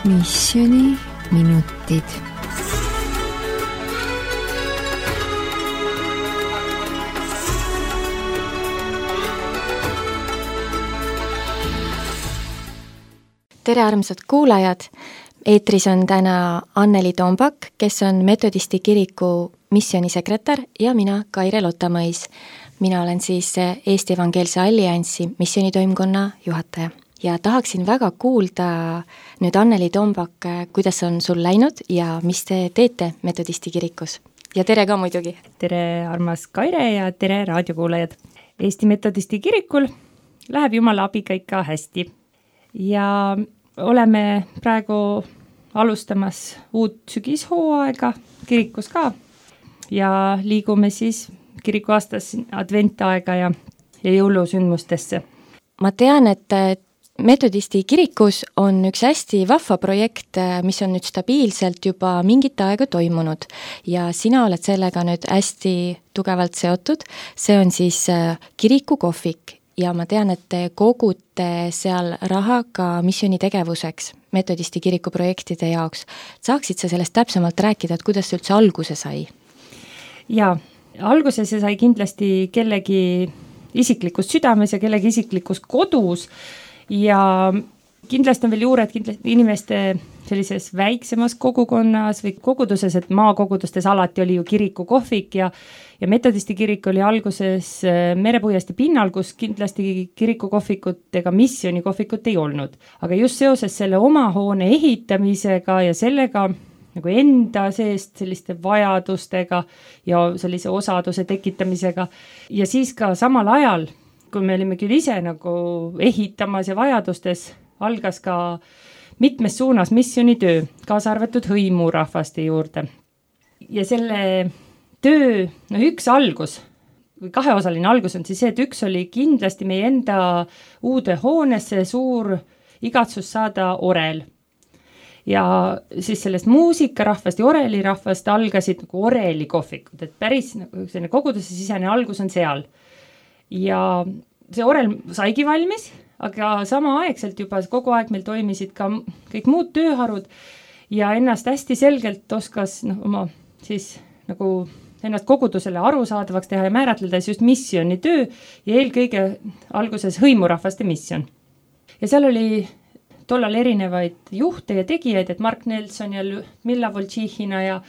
Missioni minutid. Tere armsad kuulajad! Eetris on täna Anneli Tombak, kes on Metodisti kiriku missionisekretär ja mina, Kaire Lotamõis. Mina olen siis Eesti Evangeelse Alliansi missionitoimkonna juhataja. Ja tahaksin väga kuulda nüüd Anneli Tombak, kuidas on sul läinud ja mis te teete Metodisti kirikus. Ja tere ka muidugi! Tere armas Kaire ja tere raadiokuulajad! Eesti Metodisti kirikul läheb Jumala abiga ikka hästi. Ja oleme praegu alustamas uut sügishooaega kirikus ka ja liigume siis kiriku aastas adventaega ja jõulusündmustesse. Ma tean, et Metodisti kirikus on üks hästi vahva projekt, mis on nüüd stabiilselt juba mingit aega toimunud ja sina oled sellega nüüd hästi tugevalt seotud. See on siis kirikukohvik. Ja ma tean, et te kogute seal raha ka missiooni tegevuseks, Metodisti kiriku projektide jaoks. Saaksid sa sellest täpsemalt rääkida, et kuidas see üldse alguse sai? Jaa, alguse see sai kindlasti kellegi isiklikus südames ja kellegi isiklikus kodus ja kindlasti on veel juured inimeste sellises väiksemas kogukonnas või koguduses, et maakogudustes alati oli ju kirikukohvik ja Metodisti kirik oli alguses merepuiesti pinnal, kus kindlasti kirikukohvikut ega missionikohvikut ei olnud. Aga just seoses selle oma hoone ehitamisega ja sellega nagu enda seest selliste vajadustega ja sellise osaduse tekitamisega ja siis ka samal ajal, kui me olime küll ise nagu ehitamas ja vajadustes, algas ka mitmes suunas missionitöö, kaasa arvatud hõimurahvaste juurde. Ja selle töö, üks algus, või kaheosaline algus on siis see, et üks oli kindlasti meie enda uude hoonesse suur igatsus saada orel. Ja siis sellest muusikarahvast ja orelirahvast algasid nagu orelikohvikud, et päris nagu selline koguduse sisene algus on seal. Ja see orel saigi valmis, aga samaaegselt juba kogu aeg meil toimisid ka kõik muud tööharud ja ennast hästi selgelt oskas oma siis nagu ennast kogudusele arusaadavaks teha ja määratledes just missionitöö ja eelkõige alguses hõimurahvaste mission. Ja seal oli tollal erinevaid juhte ja tegijaid, et Mark Nelson ja Milla Voltšihina ja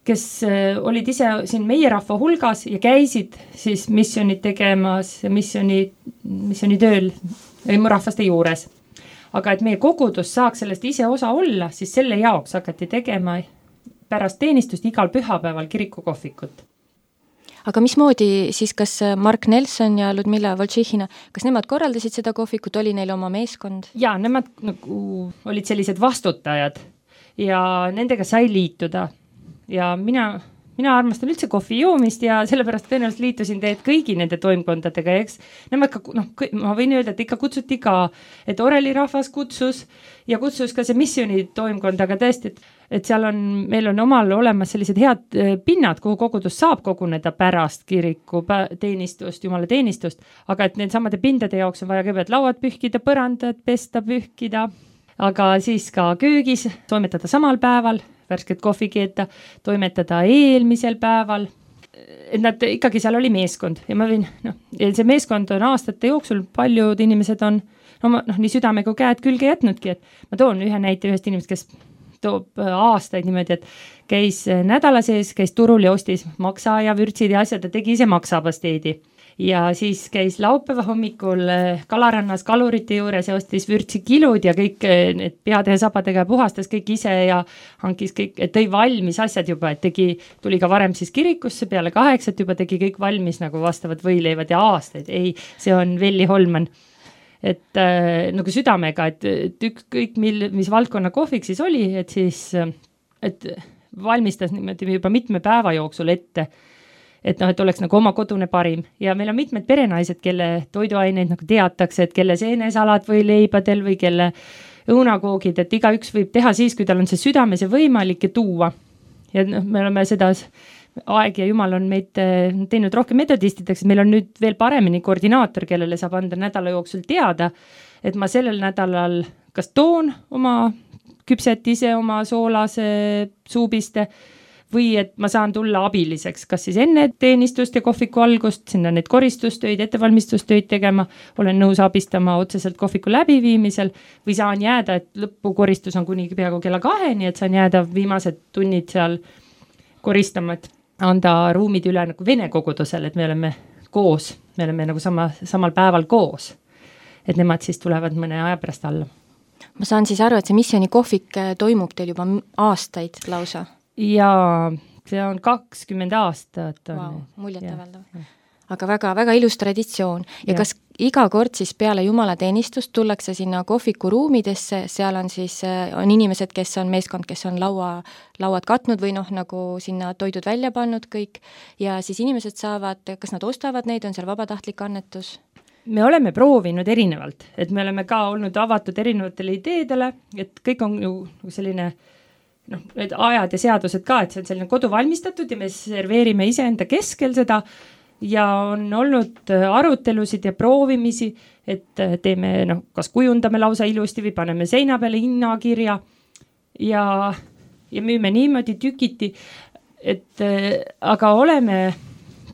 kes olid ise siin meie rahva hulgas ja käisid siis missionit tegemas ja missionitööl hõimurahvaste juures. Aga et meie kogudus saaks sellest ise osa olla, siis selle jaoks hakati tegema pärast teenistust igal pühapäeval kirikukohvikut. Aga mismoodi siis kas Mark Nelson ja Ludmilla Voltšihina, kas nemad korraldasid seda kohvikut, oli neil oma meeskond? Jaa, nemad nagu olid sellised vastutajad ja nendega sai liituda. Ja mina armastan üldse kohvi joomist ja sellepärast tõenäoliselt liitusin teed kõigi nende toimkondadega. Eks nemad ka, ma võin öelda, et ikka kutsuti ka, et orelirahvas kutsus ja kutsus ka see missioni toimkond, aga tõesti, et seal meil on omal olemas sellised head pinnad, kuhu kogudus saab koguneda pärast kiriku teenistust, Jumala teenistust, aga et need samade pindade jaoks on vaja kõigepealt lauad pühkida, põrandad, pesta, pühkida, aga siis ka köögis toimetada samal päeval, värsket kohvi keeta, toimetada eelmisel päeval, et nad ikkagi seal oli meeskond ja ma võin, see meeskond on aastate jooksul, paljud inimesed on nii südamega käed külge jätnudki, et ma toon ühe näite ühest inimest, kes toob aastaid niimoodi, et käis nädala sees, käis turul ja ostis maksa ja vürtsid ja asjad ja tegi ise maksapasteedi. Ja siis käis laupäeva hommikul Kalarannas kalurite juures ja ostis vürtsi kilud ja kõik need peade ja sabadega puhastas kõik ise ja hankis kõik, et tõi valmis asjad juba, et tuli ka varem siis kirikusse peale 8, juba tegi kõik valmis nagu vastavad võileivad ja aastaid. Ei, see on Velli Holman. Et nagu südamega, et ükskõik mis valdkonna kohvik siis oli, et valmistas niimoodi juba mitme päeva jooksul ette, et oleks nagu oma kodune parim. Ja meil on mitmed perenaised, kelle toiduaineid nagu teatakse, et kelle seenesalad või leibadel või kelle õunakoogid, et igaüks võib teha siis, kui tal on see südames ja võimalik ja tuua. Ja me oleme seda aeg ja Jumal on meid teinud rohkem metodistideks, meil on nüüd veel paremini koordinaator, kellele saab anda nädala jooksul teada, et ma sellel nädalal kas toon oma küpset ise oma soolase suubiste või et ma saan tulla abiliseks, kas siis enne teenistust ja kohviku algust, sinna neid koristustöid, ettevalmistustöid tegema, olen nõus abistama otseselt kohviku läbiviimisel või saan jääda, et lõpukoristus on kuni peaaegu kella 2, et saan jääda viimased tunnid seal koristama, et anda ruumid üle nagu vene kogudusele, et me oleme koos, me oleme nagu samal päeval koos, et nemad siis tulevad mõne aja pärast alla. Ma saan siis aru, et see missiooni kohvik toimub teil juba aastaid lausa? Ja see on 20 aastat. Wow, muljetavaldav. Aga väga ilus traditsioon. Ja kas iga kord siis peale jumalateenistust tullakse sinna kohviku ruumidesse, seal on siis on inimesed, kes on meeskond, kes on lauad katnud või nagu sinna toidud välja pannud kõik ja siis inimesed saavad, kas nad ostavad neid, on seal vabatahtlik annetus? Me oleme proovinud erinevalt, et me oleme ka olnud avatud erinevatele ideedele, et kõik on ju selline need ajad ja seadused ka, et see on selline kodu valmistatud ja me serveerime iseenda keskel seda ja on olnud arutelusid ja proovimisi, et teeme, kas kujundame lausa ilusti või paneme seina peale hinnakirja ja müüme niimoodi tükiti, et aga oleme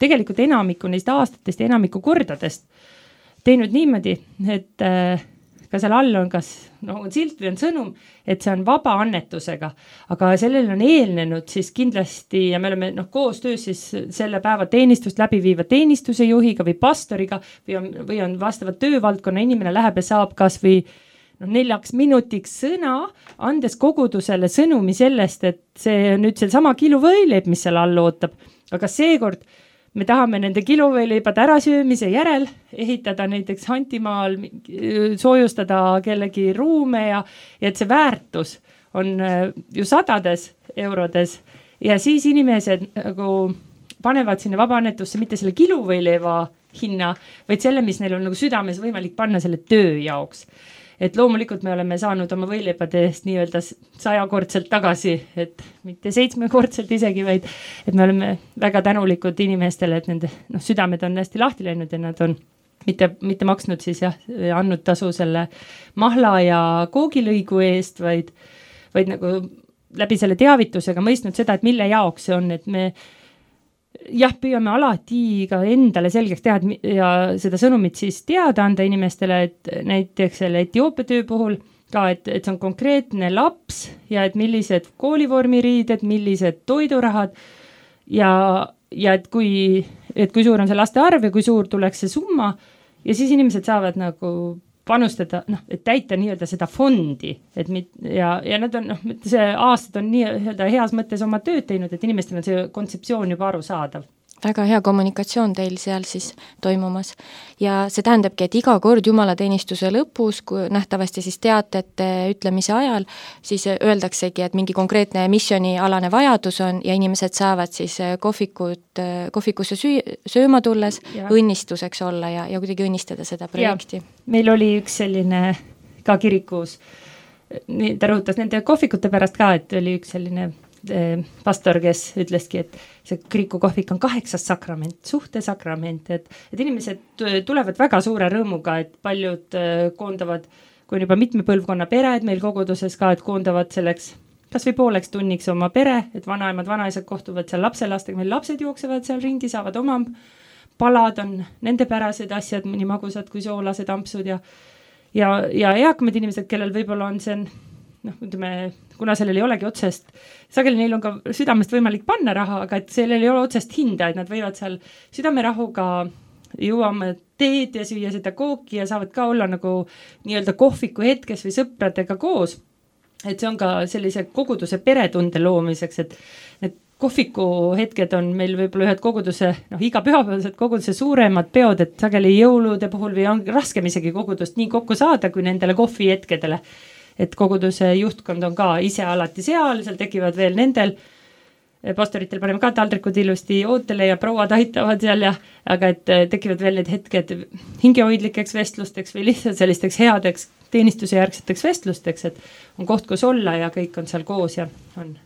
tegelikult enamiku neist aastatest ja enamiku kordadest teinud niimoodi, et ka seal all on kas on silt või on sõnum, et see on vaba annetusega, aga sellele on eelnenud siis kindlasti ja me oleme koostöös siis selle päeva teenistust läbi viiva teenistuse juhiga või pastoriga või on vastavat töövaldkonna inimene läheb ja saab kas või 4 minutiks sõna, andes kogudusele sõnumi sellest, et see on nüüd sama kilo võileib, mis seal all ootab, aga seekord me tahame nende kiluvõileibade ärasöömise järel ehitada näiteks Antimaal, soojustada kellegi ruume ja et see väärtus on ju 100 eurodes ja siis inimesed nagu panevad sinna vabaannetusse mitte selle kiluvõileiva hinna, vaid selle, mis neil on nagu südames võimalik panna selle töö jaoks. Et loomulikult me oleme saanud oma võileipade eest nii-öelda 100-kordselt tagasi, et mitte 7-kordselt isegi, vaid et me oleme väga tänulikud inimestele, et nende südamed on hästi lahti läinud ja nad on mitte maksnud siis andnud tasu selle mahla ja koogilõigu eest, vaid nagu läbi selle teavitusega mõistnud seda, et mille jaoks see on, et me püüame alati ka endale selgeks teha ja seda sõnumit siis teada anda inimestele, et näiteks selle Etioopia töö puhul ka, et see on konkreetne laps ja et millised koolivormiriided, millised toidurahad ja et kui suur on see laste arv ja kui suur tuleks see summa ja siis inimesed saavad nagu panustada, et täita nii-öelda seda fondi, et ja nad on, see aastad on nii-öelda heas mõttes oma tööd teinud, et inimestel on see kontseptsioon juba arusaadav. Väga hea kommunikatsioon teil seal siis toimumas ja see tähendabki, et iga kord jumalateenistuse lõpus, kui nähtavasti siis teatete ütlemise ajal, siis öeldaksegi, et mingi konkreetne missioonialane vajadus on ja inimesed saavad siis kohvikusse sööma tulles õnnistuseks olla ja kuidagi õnnistada seda projekti. Meil oli üks selline ka kirikus, ta rõhutas nende kohvikute pärast ka, et oli üks selline pastor, kes ütleski, et see kiriku kohvik on 8. sakrament, suhtesakrament, et inimesed tulevad väga suure rõõmuga, et paljud koondavad, kui on juba mitme põlvkonna pered meil koguduses ka, et koondavad selleks kas või pooleks tunniks oma pere, et vanaemad, vanaisad kohtuvad seal lapselastega, meil lapsed jooksevad seal ringi, saavad oma palad, on nende pärased asjad, nii magusad kui soolased ampsud ja eakamad inimesed, kellel võib-olla on see kuna sellel ei olegi otsest, sageli neil on ka südamest võimalik panna raha, aga et sellel ei ole otsest hinda, et nad võivad seal südamerahuga jõuama teed ja süüa seda kooki ja saavad ka olla nagu nii-öelda kohviku hetkes või sõpradega koos. Et see on ka sellise koguduse peretunde loomiseks, et need kohviku hetked on meil võib-olla ühed koguduse, iga pühapäevased koguduse suuremad peod, et sageli jõulude puhul või on raskem isegi kogudust nii kokku saada kui nendele kohvihetkedele. Et koguduse juhtkond on ka ise alati seal tekivad veel nendel, pastoritel paneme ka taldrikud ilusti ootele ja prouad aitavad seal aga et tekivad veel need hetked hingehoidlikeks vestlusteks või lihtsalt sellisteks headeks teenistuse järgseteks vestlusteks, et on koht, kus olla ja kõik on seal koos ja on.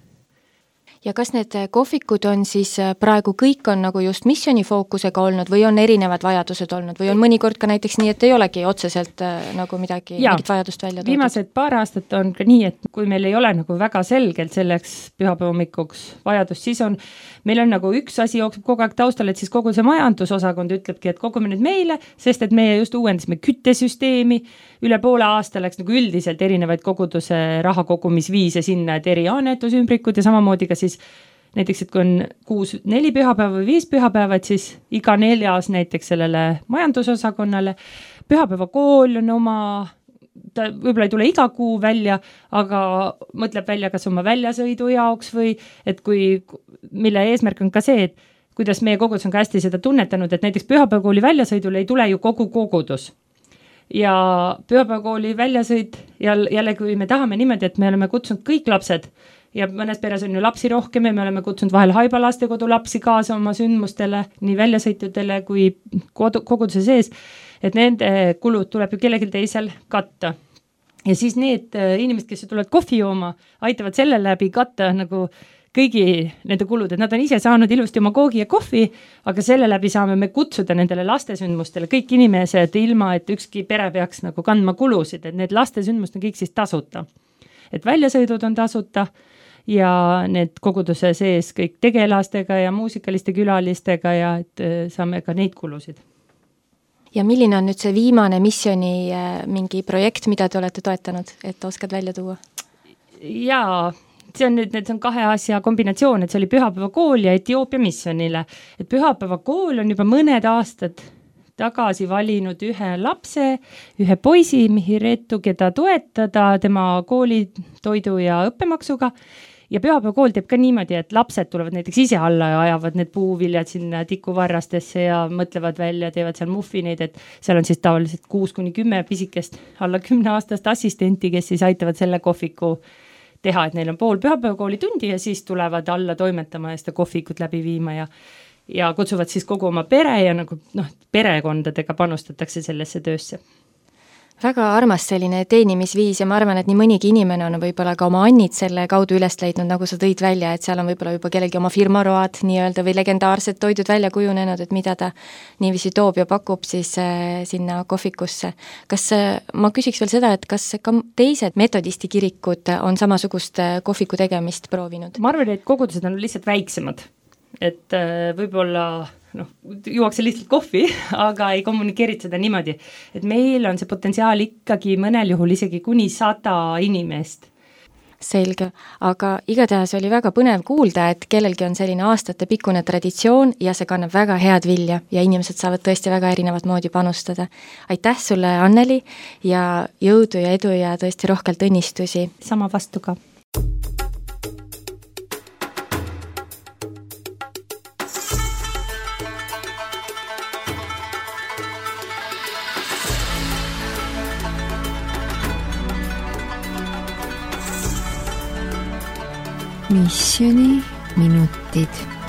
Ja kas need kohvikud on siis praegu kõik on nagu just missiooni fookusega olnud või on erinevad vajadused olnud või on mõnikord ka näiteks nii, et ei olegi otseselt nagu mingit vajadust välja toodud? Viimased paar aastat on ka nii, et kui meil ei ole nagu väga selgelt selleks pühapäevahommikuks vajadust, siis on, meil on nagu üks asi jookseb kogu aeg taustal, et siis kogu see majandusosakond ütlebki, et kogume nüüd meile, sest et meie just uuendasime küttesüsteemi, üle poole aasta läks nagu üldiselt erinevaid koguduse raha kogumisviise sinna, et eri annetusümbrikud ja samamoodi ka siis näiteks, et kui on 4 pühapäeva või 5 pühapäeva, et siis iga 4. näiteks sellele majandusosakonnale. Pühapäevakool on oma, ta võib-olla ei tule iga kuu välja, aga mõtleb välja kas oma väljasõidu jaoks või et mille eesmärk on ka see, et kuidas meie kogudus on ka hästi seda tunnetanud, et näiteks pühapäevakooli väljasõidul ei tule ju kogu kogudus. Ja pühapäevakooli väljasõid jälle, kui me tahame niimoodi, et me oleme kutsunud kõik lapsed ja mõnes peres on ju lapsi rohkem ja me oleme kutsunud vahel Haiba lastekodu lapsi kaasa oma sündmustele, nii väljasõitudele kui koguduse sees, et nende kulud tuleb ju kellelgi teisel katta. Ja siis need inimesed, kes tulevad kohvi jooma, aitavad selle läbi katta nagu kõigi nende kulud, et nad on ise saanud ilusti oma koogi ja kohvi, aga selle läbi saame me kutsuda nendele lastesündmustele kõik inimesed ilma, et ükski pere peaks nagu kandma kulusid, et need lastesündmust on kõik siis tasuta. Et väljasõidud on tasuta ja need koguduse sees kõik tegelastega ja muusikaliste külalistega ja et saame ka neid kulusid. Ja milline on nüüd see viimane missiooni mingi projekt, mida te olete toetanud, et oskad välja tuua? Jaa, see on nüüd, need on 2 asja kombinatsioon, et see oli Pühapäevakool ja Etioopia missionile. Et Pühapäevakool on juba mõned aastad tagasi valinud ühe lapse, ühe poisi, Mihiretu, keda toetada tema koolitoidu ja õppemaksuga. Ja Pühapäevakool teeb ka niimoodi, et lapsed tulevad näiteks ise alla ja ajavad need puuviljad sinna tikuvarrastesse ja mõtlevad välja, teevad seal muffineid, et seal on siis tavaliselt 6-10 pisikest alla 10-aastast assistenti, kes siis aitavad selle kohviku teha, et neil on pool pühapäevakooli tundi ja siis tulevad alla toimetama ja seda kohvikut läbi viima ja kutsuvad siis kogu oma pere ja nagu perekondadega panustatakse sellesse töösse. Väga armas selline teenimisviis ja ma arvan, et nii mõnigi inimene on võib-olla ka oma annid selle kaudu üles leidnud, nagu sa tõid välja, et seal on võib-olla juba kellelgi oma firmaroad nii-öelda või legendaarsed toidud välja kujunenud, et mida ta niiviisi toob ja pakub siis sinna kohvikusse. Kas ma küsiks veel seda, et kas ka teised metodisti kirikud on samasugust kohviku tegemist proovinud? Ma arvan, et kogudused on lihtsalt väiksemad, et võib-olla juuakse lihtsalt kohvi, aga ei kommunikeerid seda niimoodi, et meil on see potentsiaal ikkagi mõnel juhul isegi kuni 100 inimest. Selge, aga igatahes oli väga põnev kuulda, et kellelgi on selline aastatepikkune traditsioon ja see kannab väga head vilja ja inimesed saavad tõesti väga erinevat moodi panustada. Aitäh sulle, Anneli, ja jõudu ja edu ja tõesti rohkelt õnnistusi. Sama vastu ka. Missioni minutid.